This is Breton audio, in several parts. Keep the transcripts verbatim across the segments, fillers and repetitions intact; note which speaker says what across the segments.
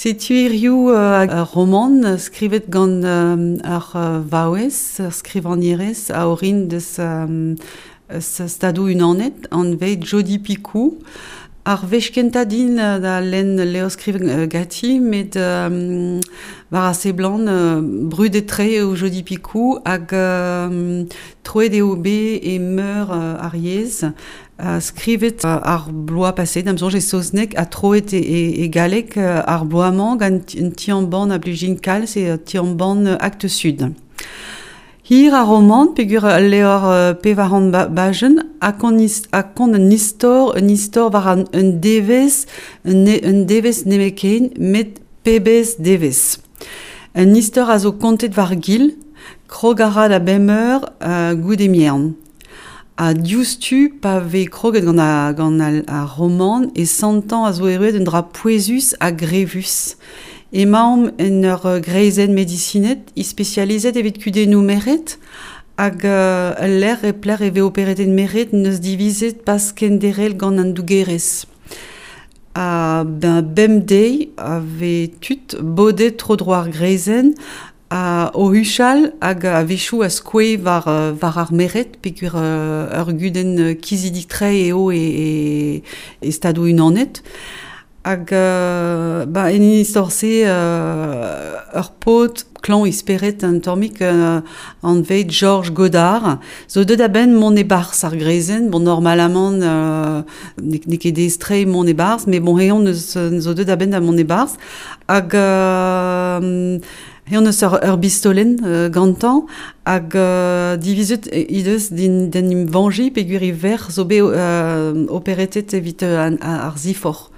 Speaker 1: Setu hiziv ur romant skrivet gant ur vaouez, ur skrivagnerez a orin deus Stadoù Unanet, anvet Jodi Picoult. Ar wech kentañ din da lenn levr skrivet ganti, met um, war a seblant uh, brudet-tre eo Jodi Picoult hag um, troet eo bet e meur uh, ar yezh. Uh, skrivet uh, ar bloaz paset, da'm soñj e saozneg, ha troet e, e, e galleg uh, ar bloaz-mañ gant un ti-embann a blij din kalz e ti-embann Actes Sud. Hir ar romant peogwir ul levr pevar c'hant bajenn ha kont un istor, un istor war an, un devezh, un, un devezh nemetken, met pebezh devezh. Un istor a zo kontet war gil, krog a ra da bemp eur uh, goude merenn. Ha diouzhtu pa vez kroget gant ar, gant ar, ar romant e santañ a zo erruet un dra pouezus ha grevus. Emaomp en ur greizenn medisined ispesializet evit kudennoù merc'hed hag uh, ul lec'h e pelec'h e vez operet merc'hed neus divizet pas kenderc'hel gant an dougerezh. Ha ben bemdeiz a vez tud bodet tro-dro ar greizenn a o huchal hag a-wechoù a skoe war, war ar merc'hed peogwir uh, ur gudenn kizidik-tre eo e, e, e Stadoù Unanet. Hag euh, ba, en istor-se euh, ur paotr klañv e spered un tammig euh, anvet George Goddard zo deuet a-benn mont e-barzh ar greizenn. Bon, normalamant euh, n'eo ket aes-tre mont e-barzh, met bon, eñ neus zo deuet a-benn da mont e-barzh. Hag euh, eñ neus ur, ur bistolenn euh, gantañ hag euh, divizet he deus d'in d'en em veñjiñ peogwir e verc'h zo bet euh, operetet evit euh, ar ziforc'h.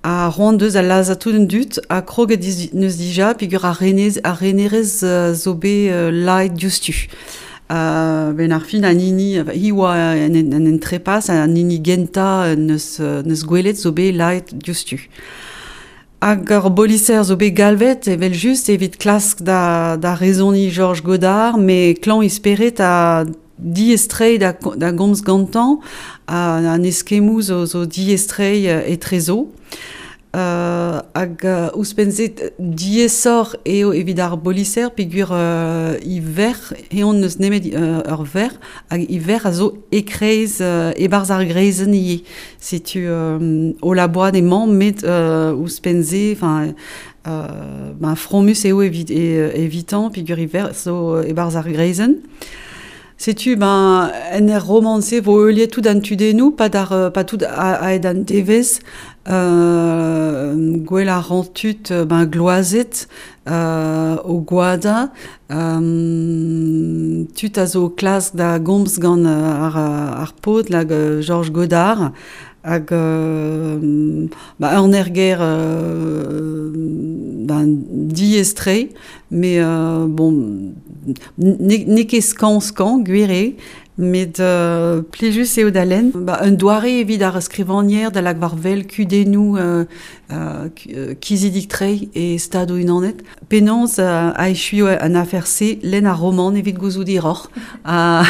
Speaker 1: Ha c'hoant deus a lazhañ tout an dud ha kroget neus dija peogwir ar renez, ar renerez zo bet uh, laet diouzhtu. Uh, ben ar fin an hini, hi oa en, en, en trepas, an hini gentañ neus, neus gwelet zo bet laet diouzhtu. Hag ur boliser zo bet galvet evel-just evit klask da, da rezoniñ George Goddard, met klañv e spered ha diaes-tre da, da gomz gantañ, an eskemmoù zo, zo diaes-tre etrezo. Uh, hag uh, ouzhpenn-se diaesoc'h eo evit ar boliser peogwir uh, e verc'h, eñ n'eus nemet uh, ur verc'h, hag e verc'h a zo e-kreiz uh, e-barzh ar greizenn ivez. Setu um, o labourat emañ, met uh, ouzhpenn-se, enfin, uh, ben, fromus eo evit, e, evitañ peogwir e verc'h zo e-barzh ar greizenn. Setu ben, en ur romant-se vo heuliet tout an tudennoù, pas d'ar, pas tout a-hed an devezh, euh, gwell a ran tud ben, gloazet euh, o gwadañ, euh, tud a zo klask da gomz gant ar, ar paotr lag George Goddard, hag euh, ba, un erger euh, ben, diaes-tre, met euh, bon, n'eo ket skañv-skañv, gwir eo, met euh, plijus eo da lenn. Ba, un doare evit ar skrivagner da lak war wel kudennoù euh, euh, kizidik-tre e Stadoù Unanet. Penaos euh, a echuio an afer-se lenn ar romant evit gouzout hiroc'h. Ha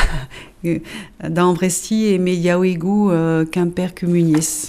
Speaker 1: da amprestiñ e mediaouegoù euh, Kemper Kumuniezh.